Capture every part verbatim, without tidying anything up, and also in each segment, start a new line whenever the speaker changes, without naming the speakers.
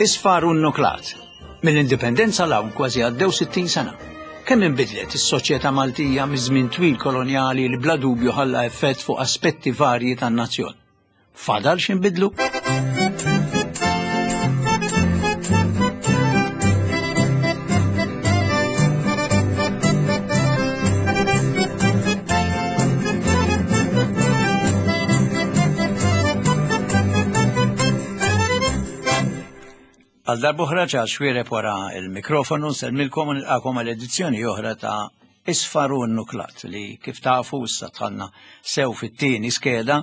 Isfar u n-nuklat. Mill-indipendenza 'l hawn kważi għaddew sittin sena. Kemm inbidlet is-soċjetà Maltija miż-żmien twil kolonjali li bla dubju ħalla effett fuq aspetti varji tan-nazzjon. Fadal x'inbidlu? Għal darb'oħra Charles Xuereb wara il-mikrofonu nsellmilkom u nilqakom għal edizzjoni oħra ta' Isfar u n-Nuklat li kif tafu issa dħalna sew fit-tieni skeda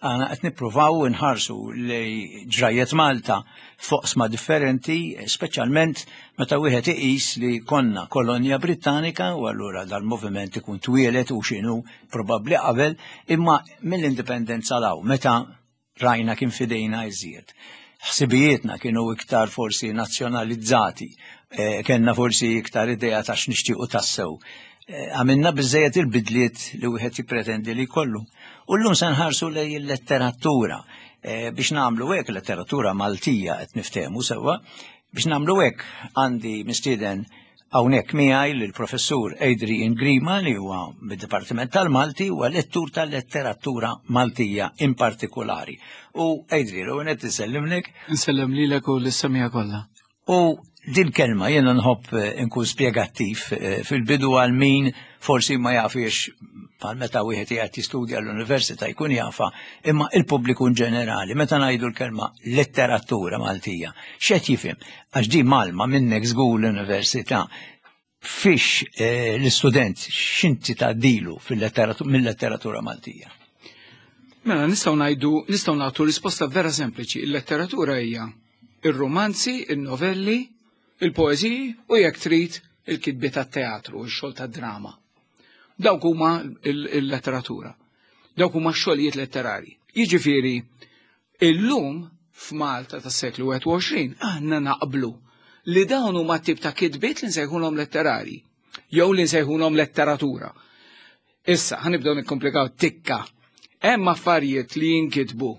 għana qed nippruvaw nħarsu li ġrajiet Malta f'oqsma differenti, speċjalment meta wieħed iqis li konna kolonja Brittanika u allura dal-moviment ikun twielet u x'inhu probabbli qabel, imma mill-indipendenza 'l hawn meta rajna kien fidejna iżjed. Ħsibijietna kienu iktar forsi nazzjonalizzati, eh, kellna forsi iktar idea ta' x'nixtiequ tassew. Eh, għamilna biżejjed il-bidliet li wieħed jippretendi li jkollu. U llum se nħarsu lej il-letteratura. Eh, biex nagħmlu hekk, letteratura Maltija qed niftehmu sewwa, biex nagħmlu hekk għandi mistieden hawnhekk miegħi lill-professur Adrian Grima li huwa mid-Dipartiment tal-Malti huwa lettur tal-letteratura Maltija in partikolari. U Adrian, u qed insellimlek.
Insellem lilek u lis-semija kollha.
U din kelma jiena nħobb nkun spjegattiv fil-bidu għal min forsi ma jafiex bħal meta wieħed qiegħed jistudja l-università jkun jafa, imma il-pubbliku in ġenerali, meta ngħidu l-kelma letteratura Maltija, x'qed jifhem? Għax di malma minnek żgur l-università, fiex l-istudent x'inti tgħaddilu mill-letteratura Maltija?
Mela nistgħu ngħidu, nistgħu nagħtu risposta vera sempliċi. Il-letteratura hija ir-romanzi, il-novelli, il-poeżiji u jekk trid il-kitbiet tat-teatru, ix-xogħol tad-drama. Dawk huma il-letteratura. Dawk huma x-xogħlijiet letterari. Jiġifieri, illum f'Malta tas-seklu wieħed u għoxrin aħna naqblu li dawn huma tip ta' kitbiet li nsejħulhom letterari jew li nsejħulhom letteratura. Issa ħanibdew nikkomplikaw tikka. Hemm affarijiet li jinkitbu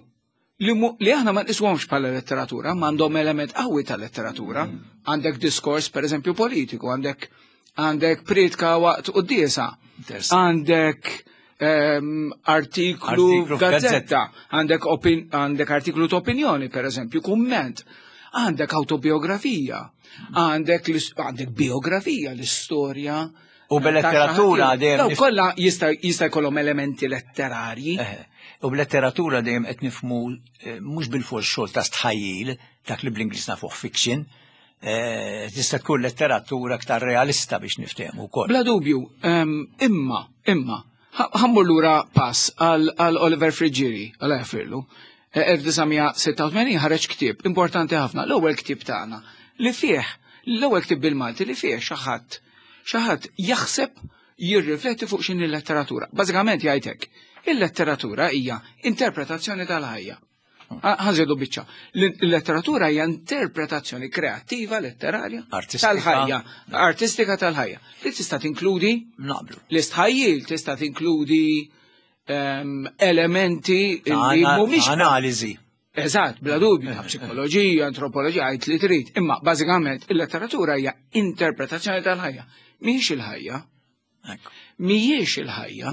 li, li aħna ma nqishomx bħala letteratura, ma għandhom element qawwi ta' letteratura. Għandek diskors, per eżempju, politiku, għandek għandek pritka waqt quddiesa, għandek um, artiklu f'gazzetta, għandek għandek artiklu ta' opinjoni, per eżempju, kumment, għandek autobiografija, għandek għandek biografija, l-istorja.
U bil-letteratura dejjem.
Kollha jista' jista' jkollhom elementi letterarji.
U bil-letteratura dejjem qed nifhmu mhux bil-fors xogħol ta' stħajjil, dak li bl-Ingliż nafuh fiction, tista' tkun letteratura aktar realista biex niftehmu wkoll.
Bla dubju, imma, imma, ħammur lura pass għal Oliver Friggieri, għal jaffirlu, elf disa' sitta u tmenin ħareġ ktieb importanti ħafna, l-ewwel ktieb tagħna li fih, l-ewwel ktieb bil-Malti li fih xi ħadd xi ħadd jaħseb jirrifletti fuq x'inhi l-letteratura. Bażikament jgħid hekk, il-letteratura hija interpretazzjoni tal-ħajja. Ħanżidu biċċa. Il-letteratura hija interpretazzjoni kreattiva, letterarja, tal-ħajja, artistika tal-ħajja. Li tista' tinkludi
naqblu.
L-istħajjil tista' tinkludi elementi li mhumiex
analiżi.
Eżatt, bla dubju, ta' psikoloġija, antropoloġija, għid li trid. Imma bażikament il-letteratura hija interpretazzjoni tal-ħajja. Mhijiex il-ħajja. Mhijiex il-ħajja.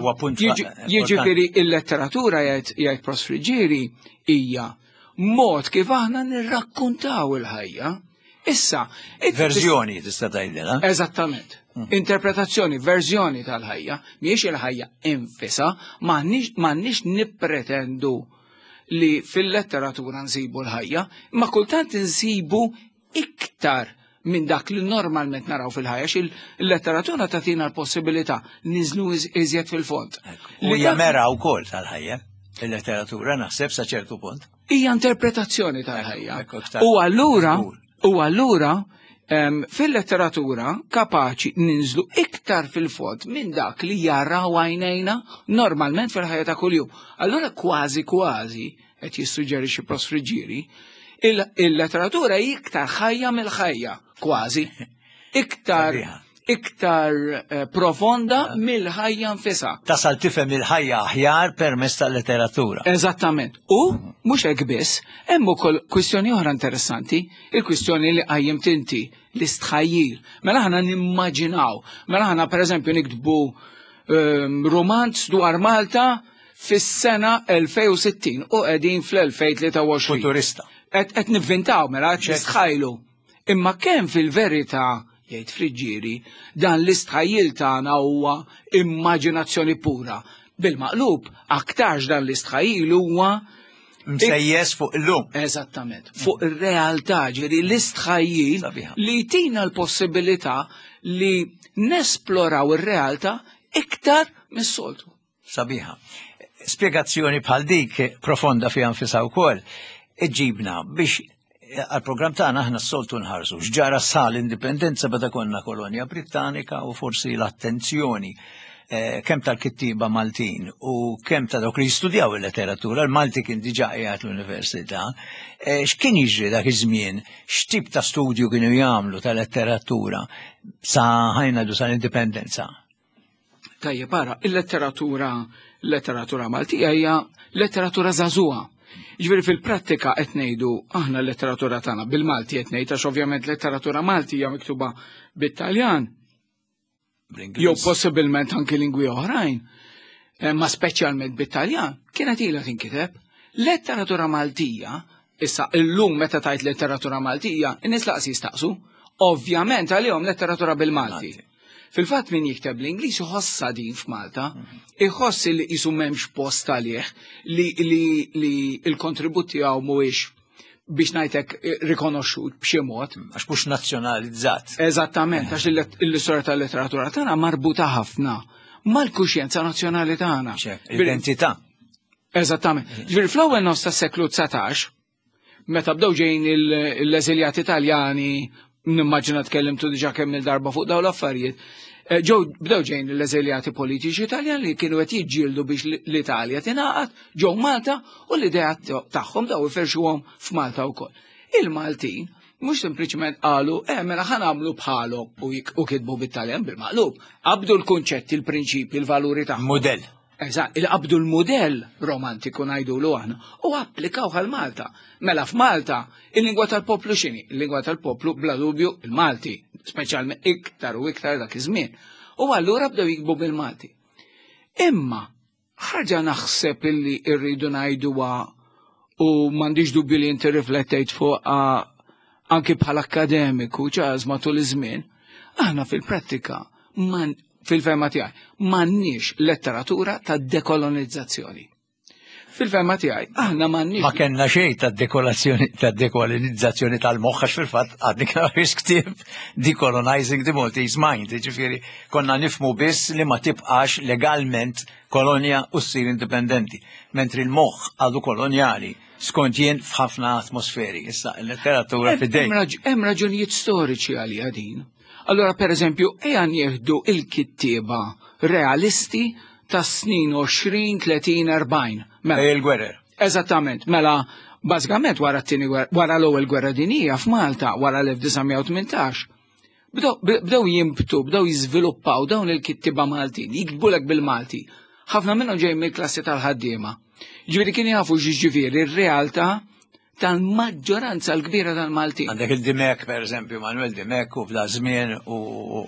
Jiġifieri il-letteratura jgħid Prof Friggieri hija mod kif aħna nirrakkuntaw il-ħajja. Issa,
verżjoni tista' tgħidilha.
Eżattament. Interpretazzjoni, verżjoni tal-ħajja, mhijiex il-ħajja infisha, m'għandniex nippretendu li fil-letteratura nsibu l-ħajja, imma kultant insibu iktar minn dak li normalment naraw fil-ħajja, xi il-letteratura tagħtina l-possibilità niżlu iżjed fil-fond.
U hija mera wkoll tal-ħajja, il-letteratura naħseb sa ċertu punt.
Hija interpretazzjoni tal-ħajja. U allura, u allura fil-letteratura kapaċi ninżlu iktar fil-fond minn dak li jaraw għajnejna normalment fil-ħajja ta' kuljum. Allura kważi kważi, qed jissuġġerixxi Prof Friggieri, il-letteratura hi iktar ħajja mill-ħajja, kważi. Iktar iktar eh, profonda mill-ħajja nfisha.
Tasal tifhem il-ħajja aħjar permezz tal-letteratura.
Eżattament. U mhux hekk biss, hemm ukoll kwistjoni oħra interessanti, il-kwistjoni li qajjimt inti, l-istħajjil. Mela aħna nimmaġinaw, mela aħna pereżempju niktbu ehm, romanz dwar Malta fis-sena elfejn u sittin u qegħdin fl-elfejn u tlieta u għoxrin.
Futurista.
Qed nivvintaw, mela qed nistħajlu. Imma kemm fil-verità, jgħid Friggieri, dan l-istħajjil tagħna huwa immaġinazzjoni pura? Bil-maqlub, aktarx dan l-istħajjil huwa
msejjes fuq illum.
Eżattament, fuq ir-realtà, ġifieri l-istħajjil
Sabiħa.
li tina l-possibilità li nesploraw ir-realtà iktar mis-soltu.
Sabiħa. Spiegazzjoni bħal dik profonda fiha nfisha wkoll iġibna biex għal-programm tagħna aħna s-soltu nħarsu x'ġara sal-indipendenza, meta konna kolonja Brittanika, u forsi l-attenzjoni eh, kemm tal-kittiba Maltin u kemm ta' dawk li jistudjaw il-letteratura, il-Malti kien diġà qiegħed l-università, eh, x'kien jiġri dak iż-żmien, x'tip ta' studju kienu jagħmlu ta' letteratura sa ħajna sal-indipendenza?
Tajjeb, ara, il-letteratura, letteratura Maltija hija letteratura żagħżugħa. Ġifieri fil-prattika qed ngħidu aħna l-letteratura tagħna bil-Malti qed ngħid, għax ovvjament letteratura Malti hija miktuba bit-Taljan
Bl-Ingliż.
Jew possibilment anki lingwi oħrajn, eh, ma speċjalment bit-Taljan, kienet ilha tinkiteb. Letteratura Maltija, issa illum meta tajt letteratura Maltija, in-nies laqas jistaqsu. Ovvjament għalihom letteratura bil-Malti.
Malti.
Fil-fatt min jikteb l-Ingliż iħossa din f'Malta, iħoss li qisu m'hemmx post għalih, li, li, li il-kontribut tiegħu mhuwiex, biex ngħidlek, eh, rikonoxxut b'xi mod.
Għax mhux nazzjonalizzat.
Eżattament, għax l-istorja tal-letteratura tagħna marbuta ħafna mal-kuxjenza nazzjonali tagħna.
Identità.
Eżattament. Ġifieri fl-ewwel nofs tas-seklu dsatax, meta bdew ġejjin il- l-eżiljati Taljani, nimmaġina tkellimtu diġà kemm il-darba fuq dawn l-affarijiet, eh, ġew bdew ġejjin l-eżiljati politiċi Taljani li kienu qed jiġġieldu biex l-Italja tingħaqad, ġew Malta u l-idea tagħhom daw iferxuhom f'Malta wkoll. Il-Maltin mhux sempliċement qalu, eh mela ħa nagħmlu bħalhom u jik- u kitbu bit-Taljan. Bil-maqlub, qabdu l-kunċetti, il-prinċipi, il-valuri tagħhom.
Modell.
Eżatt, il-qabdu l-modell romantiku ngħidulu aħna u applikaw għal Malta. Mela f'Malta, il-lingwa tal-poplu x'inhi? Il-lingwa tal-poplu bla dubju il-Malti, speċjalment iktar u iktar dak iż-żmien. U allura bdew jiktbu bil-Malti. Imma ħaġa naħseb illi rridu ngħiduha, u m'għandix dubju li inti riflettejt fuq anki bħala akademiku ċaż matul iż-żmien, aħna fil-prattika man fil-fehma tiegħi m'għandniex letteratura ta' dekolonizzazzjoni. Fil-fehma tiegħi aħna m'għandniex
Ma kellna xejn ta' dekolazzjoni ta' dekolonizzazzjoni tal-moħħ, għax fil-fatt għadni kif ktieb Decolonizing the Maltese Mind, ġifieri konna nifhmu biss li ma tibqax legalment kolonja u ssir indipendenti, mentri l-moħħ għadu kolonjali skont jien f'ħafna atmosferi. Issa il-letteratura fidejk.
Hemm raġ- Hemm raġunijiet storiċi għalija din. Allora, per eżempju, ejja nieħdu il-kittieba realisti tas snin għoxrin, tletin, erbgħin. Mela,
Il-gwerer.
Eżattament, mela, bażikament wara t-tieni gwerra, wara l-ewwel gwerra dinija f'Malta, wara l-elf disa' mija u tmintax, bdew bdew jimbtu, bdew jiżviluppaw dawn il-kittiba Maltin, jiktbulek bil-Malti. Ħafna minnhom ġejjin mill-klassi tal-ħaddiema. Ġifieri kien jafu ġifieri r-realtà tal-maġġoranza l-kbira tal-Maltin.
Għandek il-Dimech, per eżempju, Manuel Dimech u f'da żmien u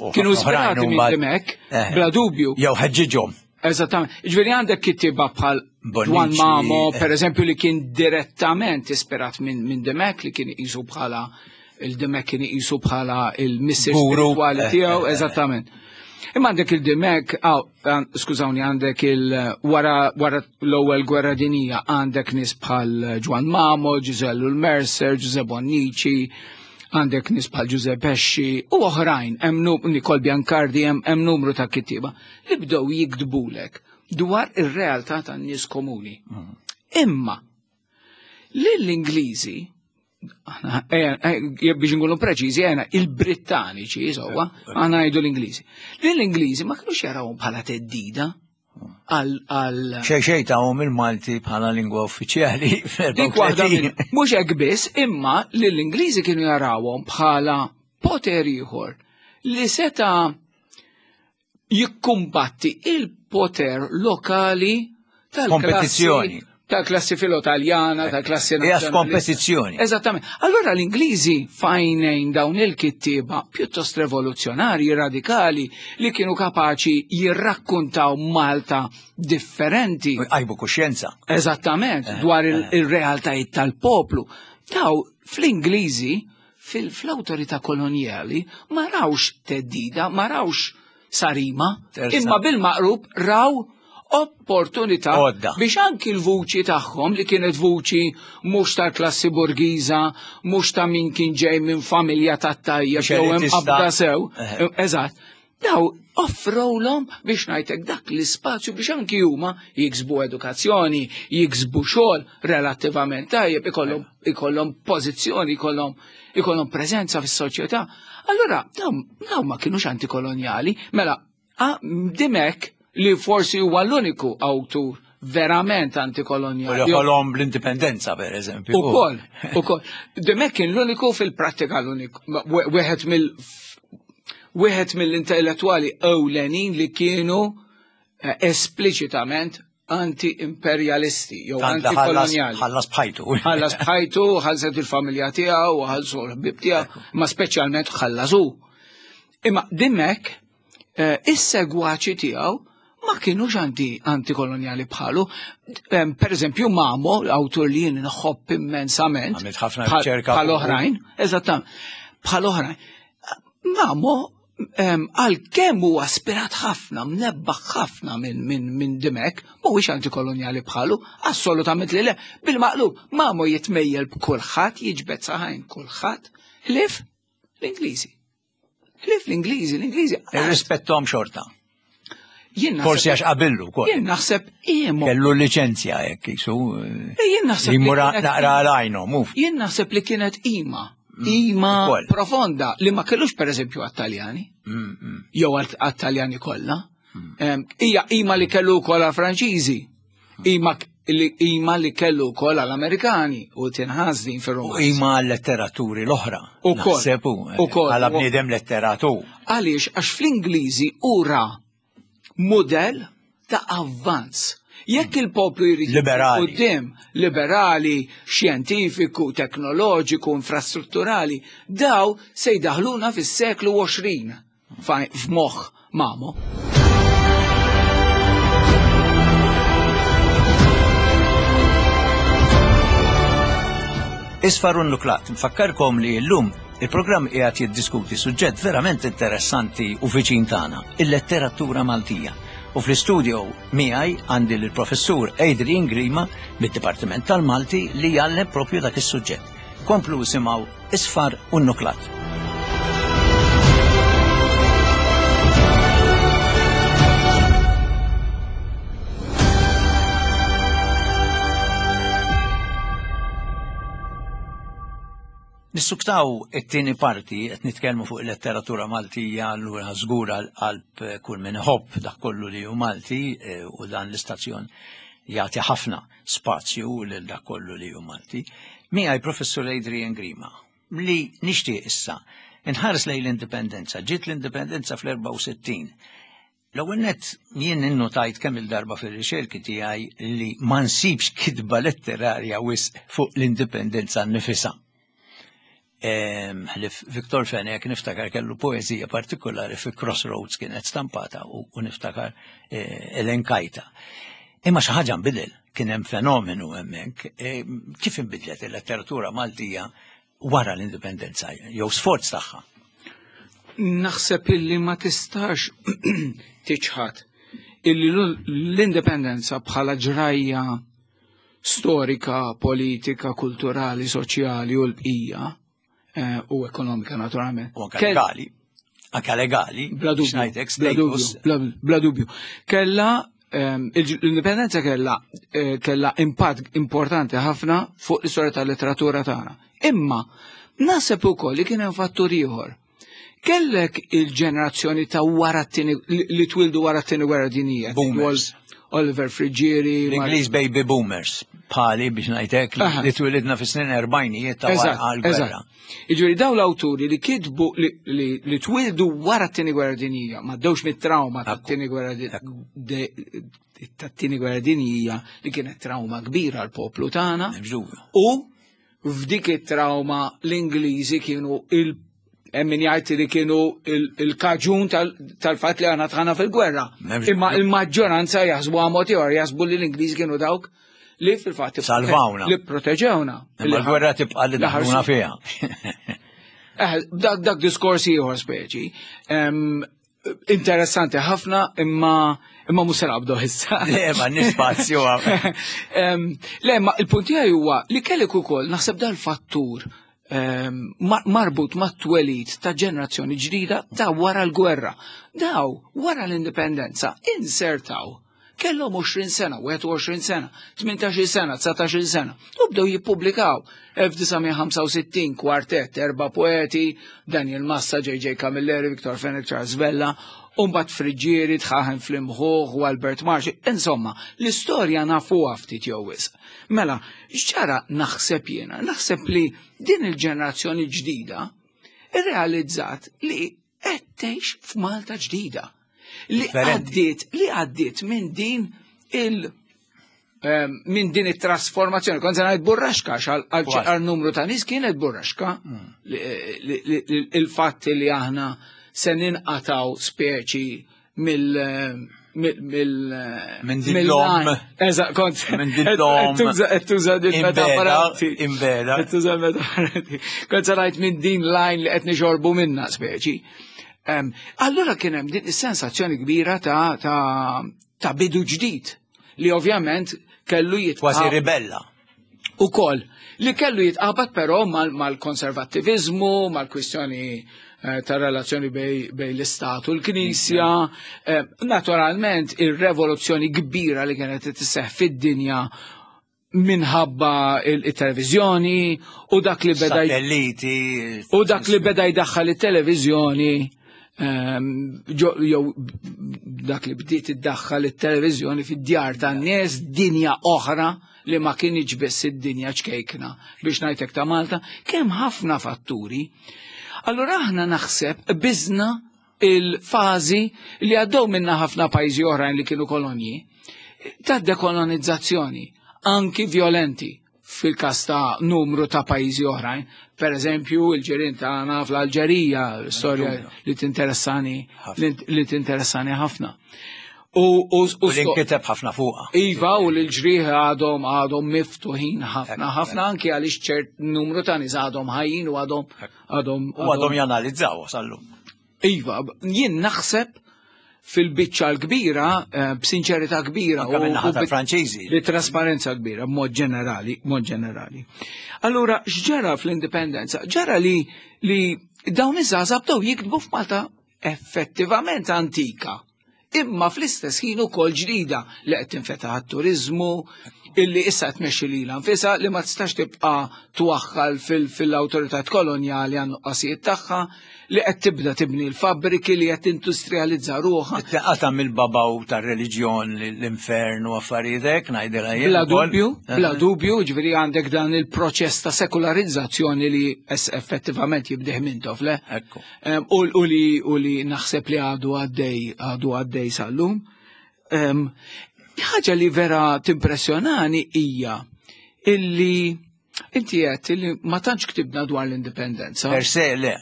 u
Kienu
ħafna oħrajn
ispirati
u
minn
mbagħad-
Dimech,
Eh.
bla dubju.
Jew ħeġġiġhom.
Eżattament. Ġifieri għandek kittiba bħal
Bonnici,
Juan Mamo,
eh.
per eżempju, li kien direttament ispirat minn min Dimech, li kien iqisu bħala il-Dimech kien iqisu bħala il-missier
Guru.
spirituali
Eh,
tiegħu,
eh, eh.
eżattament. Imma għandek il-Dimech, aw, għan- skużawni, għandek il wara wara l-ewwel gwerra dinija għandek nies bħal Juan Mamo, Giuseppe Mercer, Giuseppe Bonnici, għandek nies bħal Giuseppe Pesci u oħrajn, hemm nu- Nicole Biancardi, hemm hemm numru ta' kittieba li bdew jiktbulek dwar ir-realtà tan-nies komuni. Imma lill-Ingliżi, aħna, eh, eh, biex nkunu preċiżi, għena il-Brittaniċi, insomma, aħna ngħidu l-Ingliżi. Lill-Ingliżi ma kinux jarawhom bħala theddida għal għal
Xej xej tahom il-Malti bħala lingwa uffiċjali
Dik waħda
fl-erbgħa u tletin.
minn, mhux hekk biss, imma li l-Ingliżi kienu jarawhom bħala poter ieħor li seta Jikkumbatti il-poter lokali tal-kompetizzjoni. Tal-klassi filo-taljana, tal-klassi
nazjonali. Kompetizzjoni.
Eżattament. Allora l-Ingliżi fajnejn dawn il-kittieba pjuttost revoluzzjonarji, radikali, li kienu kapaċi jirrakkuntaw Malta differenti.
Għajbu kuxjenza.
Eżattament, dwar il-realtajiet tal-poplu. Daw fl-Ingliżi, fl-awtorità kolonjali, ma rawx teddida, ma rawx sarima, imma bil-maqrub raw opportunità biex anki l-vuċi tagħhom li kienet vuċi mhux tal-klassi borgiża, mhux ta' min kien ġej minn familja tat-tajja jew hemm qabda sew, eżatt. Daw offrowlhom biex ngħidlek dak l-ispazju biex anki huma jiksbu edukazzjoni, jiksbu xogħol relattivament tajjeb, ikollhom ikollhom pożizzjoni, ikollhom ikollhom preżenza fis-soċjetà. Allura dawn ma kienux antikolonjali, mela Dimech li forsi huwa l-uniku awtur verament antikolonjali.
U ħolom l-indipendenza, per eżempju.
Ukoll, ukoll. Dimech kien l-uniku fil-prattika l-uniku, wieħed mill wieħed mill-intellettwali ewlenin li kienu espliċitament anti-imperjalisti jew antikolonjali.
Ħallas bħajtu.
Ħallas bħajtu, ħallset il-familja tiegħu, ħallsu l-ħbieb tiegħu, ma speċjalment ħallasu. Imma Dimech is-segwaċi tiegħu ma kienux anti antikolonjali bħalu. Per eżempju, Mamo, awtur li jien nħobb immensament.
Għamilt ħafna riċerka.
Bħal oħrajn, eżattament. Bħal oħrajn. Mamo, għalkemm huwa aspirat ħafna, mnebbaħ ħafna minn Dimech, mhuwiex antikolonjali bħalu, assolutament li le. Bil-maqlub, Mamo jitmejjel b'kulħadd, jiġbed saħajn kulħadd, ħlief l-Ingliżi. Ħlief l-Ingliżi, l-Ingliżi.
Irrispettom xorta. Forsi għax qabillu kol.
Jien naħseb iemo.
Kellu liċenzja hekk jisu.
Jien naħseb.
Li mura naqra għalajnu, muf.
Jien naħseb li kienet ima. Ima profonda li ma kellux per eżempju għat-Taljani. Jew għat-Taljani kollha. Hija ima li kellu wkoll għall-Franċiżi. Ima li ima li kellu wkoll għall-Amerikani u tinħass din fir-romanz.
U ima għal-letteraturi l-oħra.
Ukoll.
Għala bniedem letteratur.
Għaliex għax fl-Ingliżi ura model ta' avvanz. Jekk il-poplu jrid
liberali,
quddiem, liberali, xjentifiku, teknoloġiku, infrastrutturali, daw se jdaħluna fis-seklu għoxrin f'moħħ Mamo.
Isfar u Nuklat, nfakkarkom li llum il-programm qiegħed jiddiskuti suġġett verament interessanti u viċin tagħna, il-letteratura Maltija. U fl-istudio miegħi għandi l-professur Adrian Grima mid-Dipartiment tal-Malti li jgħallem propju dak is-suġġett. Komplu simgħu Isfar u Nuklat. Nissuktaw it-tieni parti qed nitkellmu fuq il-letteratura Maltija, allura żgur għall-qalb kull min iħobb dak kollu li hu Malti, u dan l-istazzjon jagħti ħafna spazju lil dak kollu li hu Malti. Miegħi Professur Adrian Grima li nixtieq issa inħares lejn l-indipendenza. Ġiet l-indipendenza fl-erbgħa u sittin. L-ewwel nett jien innotajt kemm il-darba fir-riċerki tiegħi li ma nsibx kitba letterarja wisq fuq l-indipendenza nnifisha. Ħlif Viktor Fenech niftakar kellu poeżija partikolari fi Crossroads kienet stampata u niftakar elenkajta. Imma xi ħaġa nbidel, kien hemm fenomenu hemmhekk. Kif inbidlet il-letteratura Maltija wara l-indipendenza jew sforz tagħha?
Naħseb illi ma tistax tiċħad illi l-indipendenza bħala ġrajja storika, politika, kulturali, soċjali u l-bqija u ekonomika naturalment.
U anke legali. Anke legali.
Bla dubju. Bla dubju. Kella l-indipendenza kella kella impatt importanti ħafna fuq l-istorja tal-letteratura tagħna. Imma naħseb ukoll li kien hemm fattur ieħor. Kellek il-ġenerazzjoni ta' wara t-tieni li twildu wara t-tieni gwerra dinjija.
Boomers.
Oliver Friggieri.
L-Ingliż baby boomers, bħali biex ngħidlek
Aha.
li twilidna fis-snin erbgħinijiet ta'
Eżatt,
wara l-gwerra.
eżatt. Jiġifieri daw l-awturi li kitbu li, li, li twildu wara t-tieni gwerra dinjija, ma ddewx mit-trauma tat-tieni gwerra di- de- tat-tieni gwerra dinjija li kienet trauma kbira għal poplu tagħna.
M'hemmx dubju.
U f'dik it-trauma l-Ingliżi kienu il hemm min jgħid li kienu il- il-kaġun tal- tal-fatt li aħna dħalna fil-gwerra.
M'hemmx
Imma
dubju.
il-maġġoranza jaħsbu għamot ieħor, jaħsbu li l-Ingliżi kienu dawk li fil-fatt
Salvawna.
Li proteġewna.
Imma l-gwerra tibqa' li daħluna fiha.
Eh, dak, dak diskors ieħor speċi. Em, interessanti ħafna imma imma mhux se naqbdu issa.
Le, ma nispazju.
Em, Le, ma il-punt tiegħi huwa li kellek ukoll naħseb dal-fattur em, mar- marbut mat-twelid ta' ġenerazzjoni ġdida ta' wara l-gwerra. Daw, wara l-indipendenza, insertaw. Kellhom għoxrin sena, wieħed u għoxrin sena, tmintax-il sena, dsatax-il sena. U bdew jippubblikaw. elf disa' mija ħamsa u sittin kwartett, erba' poeti, Daniel Massa, J J. Camilleri, Victor Fenech, Charles Vella, Umbat Friggieri, Dħaħen fl-Imħuħ u Albert Marxi. Insomma, l-istorja nafuha ftit jew wisq. Mela, x'ġara naħseb jiena? Naħseb li din il-ġenerazzjoni ġdida irrealizzat li qed tgħix f'Malta ġdida. Li
Differenti.
għaddiet, li għaddiet minn din il- em, minn din it-trasformazzjoni. Kont se ngħid burraxka għax għal
Kważi.
għal numru ta' nies kienet burraxka. Li- li- li- Il-fatt li aħna se ninqataw speċi mill mill mill
Minn din
mill-
l-om.
Eżatt, kont.
Minn din l-om.
Qed tuża- qed tuża din
Imbeda,
metafora.
imbeda.
Qed tuża metafora. Kont se ngħid minn din l-għajn li qed nixorbu minna speċi. Em, Allura kien hemm din is-sensazzjoni kbira ta' ta' ta' bidu ġdid li ovvjament kellu jitqa'
Kważi ribella.
u koll li kellu jitqabad però mal- mal-konservattivizmu, mal-kwistjoni eh, ta' relazzjoni bej, bej l-Istat u l-Knisja. Eh, naturalment, ir-revoluzzjoni kbira li kienet tisseħ fid-dinja minħabba il-televizjoni u dak li beda
Satelliti.
u dak li beda jdaħħal it-televiżjoni ehm, ġo- jew dak li bdiet iddaħħal it-televiżjoni fid-djar tan-nies, dinja oħra li ma kienx biss id-dinja ċkejkna biex ngħidlek ta' Malta, kemm ħafna fatturi. Allura aħna naħseb biżna il-fażi li għaddew minna ħafna pajjiżi oħrajn li kienu kolonji ta' dekolonizzazzjoni, anki violenti fil-kas ta' numru ta' pajjiżi oħrajn. Per eżempju, il-ġirien tagħna fl-Alġerija, storja li tinteressani li li tinteressani ħafna. U, u,
U li nkiteb ħafna fuqha.
Iva, u l-ġrieħi għadhom għadhom miftuħin ħafna, ħafna anki għaliex ċert numru ta' nies għadhom ħajjin u għadhom għadhom
U għadhom janalizzaw sal-lum.
Iva, jien naħseb fil-biċċa l-kbira, eh, b'sinċerità kbira
Anka minn naħa
u bi-
tal-Franċiżi.
Bi trasparenza kbira, b'mod ġenerali, mod ġenerali. Allura, x'ġara fl-indipendenza? Ġara li li dawn iż-żgħażagħ bdew jiktbu f'Malta effettivament antika. Imma fl-istess ħin ukoll ġdida li qed tinfetaħ għat-turiżmu, illi issa qed tmexxi lilha nfisha, li ma tistax tibqa' twaħħal fil-awtorità kolonjali għan nuqqasijiet tagħha, li qed tibda tibni l-fabbriki, li qed tindustrializza ruħha.
Qata mill-babaw tar-reliġjon, l-infern u affarijiet hekk, ngħidilha jien
Bla
ukoll.
dubju, bla dubju, ġifieri għandek dan il-proċess ta' sekularizzazzjoni li es effettivament jibdeh Mintoff, le?
Ekku.
Em, U u li u li naħseb li għadu għaddej għadu għaddej sal-lum. Em, Ħaġa li vera timpressjonani hija illi inti qed illi ma tantx ktibna dwar l-indipendenza.
Per se, le,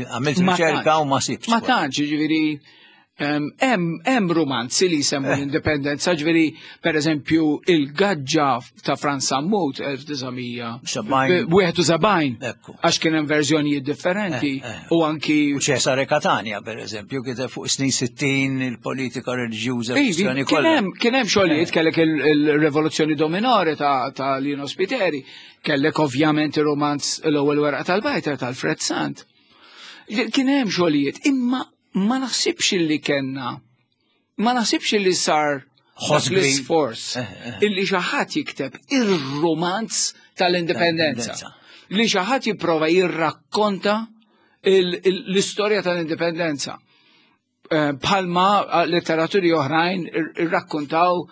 għamilt
Ma
riċerka
tantx.
u ma sibx.
Ma tantx, ġifieri em, hemm hemm romanzi li jsemmu
Eh.
l-indipendenza, ġifieri per eżempju il-Gaġġa ta' Frans Sammut elf disa' mija wieħed u sebgħin,
Ekku.
għax kien hemm verżjonijiet differenti
Eh, eh.
u anki
U Cesare Catania, per eżempju, kiteb fuq snin sittin, il-politika reliġjuża,
Ivi,
kwistjoni
kien
kollha.
hemm kien hemm xogħlijiet, kellek il- il-Rivoluzzjoni Do Minore ta' ta' Lino Spiteri, kellek ovvjament ir-romanz L-Ewwel Werqa tal-Bajtar tal-Fred Sant. Kien hemm xogħlijiet, imma ma naħsibx li kellna ma naħsibx li sar dak
Ħoss kbir.
l-isforz
Eh, eh.
illi xi ħadd jikteb ir-romanz tal-indipendenza.
Tal-indipendenza.
Li xi ħadd jipprova jirrakkonta il- il- l-istorja tal-indipendenza. Eh, Bħalma eh, litteraturi oħrajn ir- irrakkontaw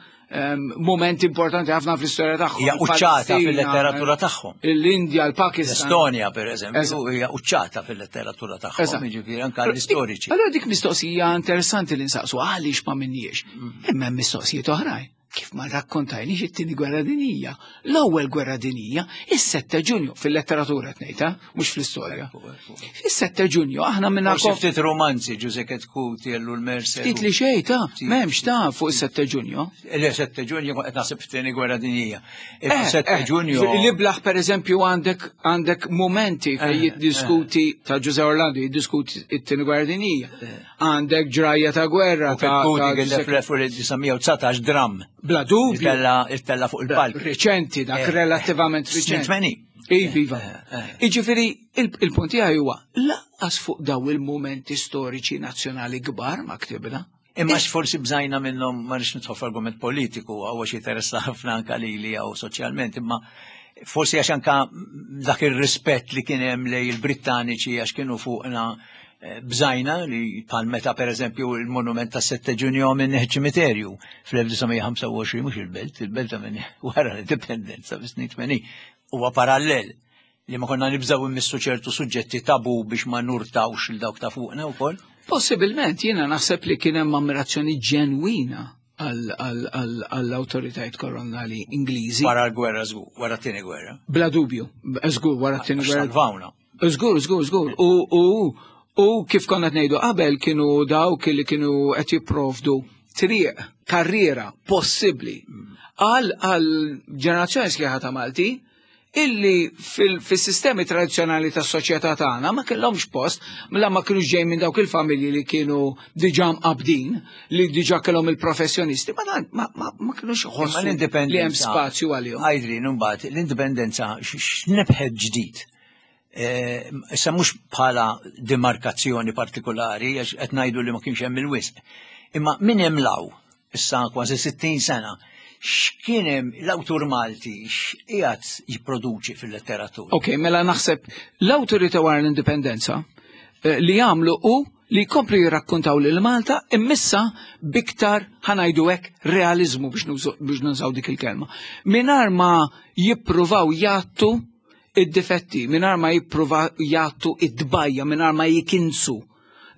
moment importanti ħafna fl-istorja tagħhom.
Hija quċċata fil-letteratura tagħhom.
L-Indja, l-Pakistan.
L-Estonja, per eżempju, hija quċċata fil-letteratura tagħhom, jiġifieri anke l-istoriċi.
Allora dik mistoqsija interessanti li nsaqsu għaliex ma minniex. Imma hemm mistoqsijiet oħrajn. Kif ma rakkontajniex it-tieni gwerra dinjija? L-ewwel gwerra dinjija, is-sette Ġunju fil-letteratura tnejta, mhux fl-istorja. Fis-sette Ġunju aħna minna
Forsi ftit romanzi Ġuże Chetcuti, Ellul Mercer.
Ftit li xejn ta' m'hemmx ta' fuq is-sette Ġunju.
Le sette Ġunju qed naħseb fit-tieni gwerra dinjija. Is-sette Ġunju.
L-iblaħ pereżempju għandek għandek momenti fejn jiddiskuti ta' Ġuże Orlando jiddiskuti it-tieni gwerra dinjija. Għandek ġrajja ta' gwerra
ta' Chetcuti fl-elf disa' mija u dsatax dram.
Bla dubju.
Ittella fuq il-palk.
Reċenti, dak relattivament reċenti. Iva. Iġifieri, il-punt tiegħi huwa lanqas fuq daw il-momenti storiċi nazzjonali kbar ma ktibna.
Imma forsi bżajna minnhom, ma nix nidħol f'argument politiku, għaw xi interessa ħafna anka lili jew soċjalment, imma forsi għax anka dak ir-rispett li kien hemm lejn il-Brittaniċi għax kienu fuqna, bżajna li bħal meta per eżempju il-monument ta' sette Ġunju minn ċimiterju fl-elf disa' mija u ħamsa u għoxrin, mhux il-belt, il-belt minn wara l-indipendenza fis-snin tmenin, huwa parallel li ma konna nibżaw immissu ċertu suġġetti tabu biex ma nurtawx il dawk ta' fuqna wkoll.
Possibilment, jiena naħseb li kien hemm ammirazzjoni ġenwina għall-awtoritajiet koloniali Ingliżi.
Wara l-gwerra żgur, wara t-tieni gwerra.
Bla dubju, żgur wara t-tieni gwerra.
Salvawna.
Żgur, żgur, żgur. U U kif konna ngħidu qabel, kienu dawk li kienu qed jipprovdu triq, karriera possibbli għal għal ġenerazzjoni sħiħa ta' Malti illi fil-sistemi tradizzjonali tas soċjetà tagħna ma kellhomx post, mela ma kienux ġej minn dawk il-familji li kienu diġà mqabdin, li diġà kellhom il-professjonisti, ma ma ma, ma kienux ħossu li hemm spazju għalihom.
Għajdri, mbagħad l-indipendenza x'nebħet ġdid? Issa mhux bħala demarkazzjoni partikolari, għax qed ngħidu li ma kienx hemm il-wisq. Imma minn hemm law, issa kważi sittin sena, x'kien hemm l-awtur Malti x'qiegħed jipproduċi fil-letteratura?
Ok, mela naħseb l-awtorità wara l-indipendenza li jagħmlu hu li jkomplu jirrakkontaw lil Malta immissa biktar, ħa ngħidu hekk, realizmu, biex nużaw dik il-kelma. Mingħajr ma jippruvaw jgħattu id-difetti, mingħajr ma jippruvaw jgħattu id-dbajja, mingħajr ma jikinsu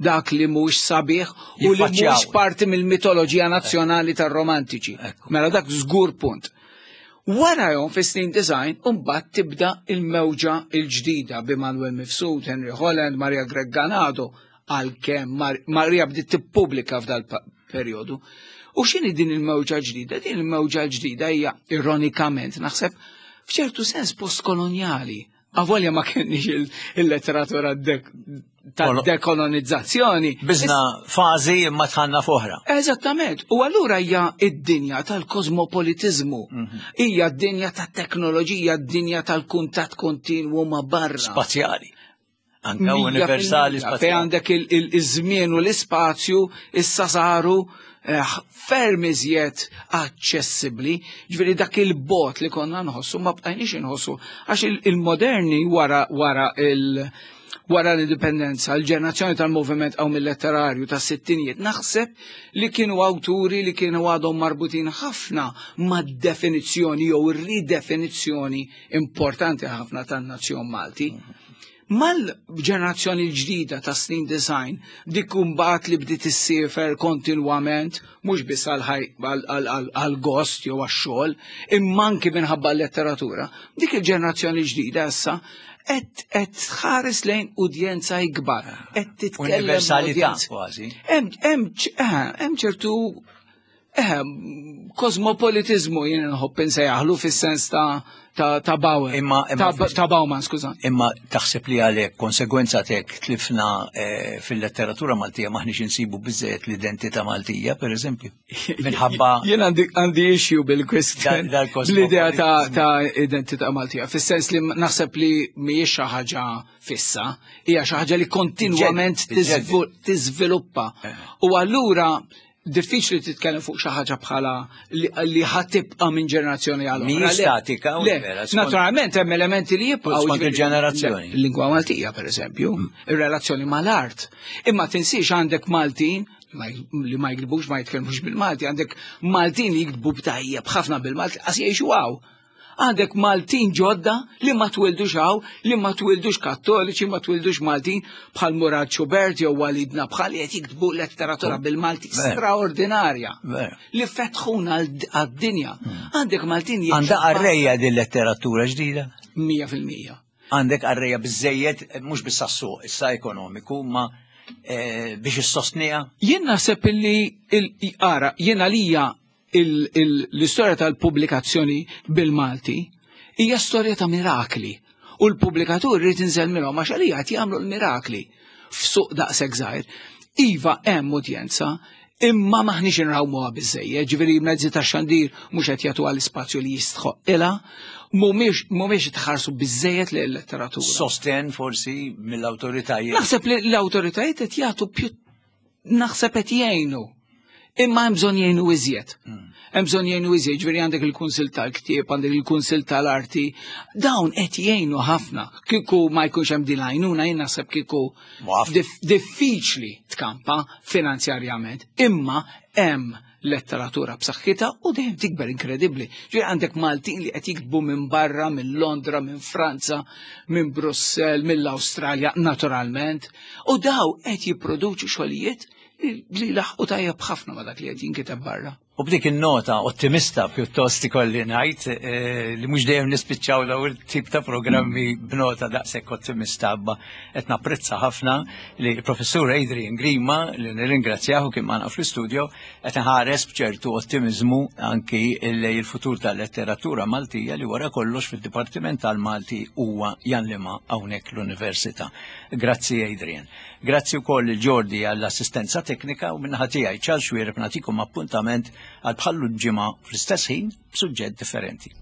dak li mhux sabiħ u li mhux parti mill-mitoloġija nazzjonali tar-romantiċi. Mela dak żgur punt. Wara jom fis-snin disgħin, mbagħad tibda il-mewġa il-ġdida bi Manuel Mifsud, Henry Holland, Maria Grech Ganado, għalkemm Maria bdiet tippubblika f'dal perjodu. U x'inhi din il-mewġa ġdida? Din il-mewġa ġdida hija ironikament, naħseb, f'ċertu sens postkoloniali. Avolja ma kienx il-letteratura ta' dekolonizzazzjoni.
Biżna fażi imma dħalna f'oħra.
Eżattament. U allura hija id-dinja tal-kosmopolitizmu. Hija d-dinja tat-teknoloġija, d-dinja tal-kuntatt kontinwu ma' barra.
Spazjali. Anka universali
spazjali. Fej għandek il-żmien u l-ispazju issa saru ferm iżjed aċċessibbli, ġifieri dak il-bot li konna nħossu ma bqajniex inħossu, għax il-moderni wara wara il- wara l-indipendenza, l-ġenerazzjoni tal-moviment għaw mill-letterarju ta' sittinijiet, naħseb li kienu awturi li kienu għadhom marbutin ħafna ma' definizzjoni jew ridefinizzjoni importanti ħafna tan-nazzjon Malti. Mal-ġenerazzjoni l-ġdida ta' snin disgħin, dik mbagħad li bdiet issiefer kontinwament, mhux biss għal-gost jew għax-xogħol, imma anki minħabba l-letteratura, dik il-ġenerazzjoni ġdida issa qed qed tħares lejn udjenza ikbar, qed titkellem
Universalità kważi.
Hemm ċertu eh, kosmopolitizmu jien nħobb insejjaħlu fis-sens ta' ta' ta' Bauer.
Imma, imma
ta', ta' Bauman, skuża.
Imma taħseb li għalek konsegwenza tek tlifna eh, fil-letteratura Maltija, maħniex insibu biżżejjed l-identità Maltija, per eżempju? Minħabba
Jien għandi għandi issue bil-kwestjon l-idea ta', ta' identità Maltija. Fis-sens li naħseb li mhijiex xi ħaġa fissa, hija xi ħaġa li kontinwament tiżviluppa. Eh. U allura diffiċli titkellem fuq xi ħaġa bħala li ħa tibqa' minn ġenerazzjoni għal
oħra. Statika u
Naturalment hemm elementi li jibqgħu
skont il-ġenerazzjoni.
Il-lingwa Maltija, pereżempju, mm. ir-relazzjoni mal-art. Imma tinsiex għandek Maltin li ma jiktbux, ma jitkellmux bil-Malti, għandek Maltin li jiktbu b'tajjeb ħafna bil-Malti, għax jgħixu hawn. Għandek Maltin ġodda li ma twildux hawn, li ma twildux Kattoliċi, ma twildux Maltin, bħal Murad Schubert jew Walid Nabhan, li qed jiktbu letteratura bil-Malti straordinarja. Li fetħuna għad-dinja. Għandek Maltin
Għandha qarrejja din letteratura ġdida?
Mija fil-mija.
Għandek qarrejja biżejjed, mhux biss għas-suq issa ekonomiku, ma biex issostniha?
Jien naħseb illi ara, jien għalija l-istorja tal-pubblikazzjoni bil-Malti hija storja ta' mirakli. U l-pubblikatur irid inżel minnhom għax għalija qed jagħmlu l-mirakli f'suq daqshekk żgħir. Iva, hemm udjenza, imma maħniex inrawmuha biżejjed, ġifieri mezzi ta' xandir mhux qed jagħtu għall-ispazju li jistħoq ilha, mhumiex mhumiex tħarsu biżejjed lil letteratura.
Sosten forsi mill-awtoritajiet.
Naħseb li l-awtoritajiet qed jagħtu più, naħseb qed jgħinu. Imma hemm bżonn jgħinu iżjed. Hemm bżonn jgħinu iżjed, ġifieri għandek il-Kunsill tal-Ktieb, għandek il-Kunsill tal-Arti, dawn qed jgħinu ħafna. Kieku ma jkunx hemm din l-għajnuna, jien naħseb kieku diffiċli tkampa finanzjarjament. Imma hemm letteratura b'saħħitha u dejjem tikber inkredibbli. Ġifieri għandek Maltin li qed jiktbu minn barra, minn Londra, minn Franza, minn Brussell, mill-Awstralja, naturalment, u daw qed jipproduċu xogħlijiet li laħqu tajjeb ħafna ma dak li qed jinkiteb barra.
U b'dik in-nota ottimista pjuttost ikolli ngħid eh, li mhux dejjem nispiċċaw daw il-tip ta' programmi b'nota daqshekk ottimista, abba qed napprezza ħafna li l-Professur Adrian Grima, li nirringrazzjahu kien magħna fl-istudio, qed iħares b'ċertu ottimiżmu anki lejn il-futur tal-letteratura Maltija, li wara kollox fid-Dipartiment tal-Malti huwa jgħallimha hawnhekk l-Università. Grazzi, Adrian. Grazzi wkoll il Jordi għall-assistenza teknika, u min-naħa tiegħi, Charles Xuereb, nagħtikom appuntament għal bħallu ġimgħa fl-istess ħin b'suġġett differenti.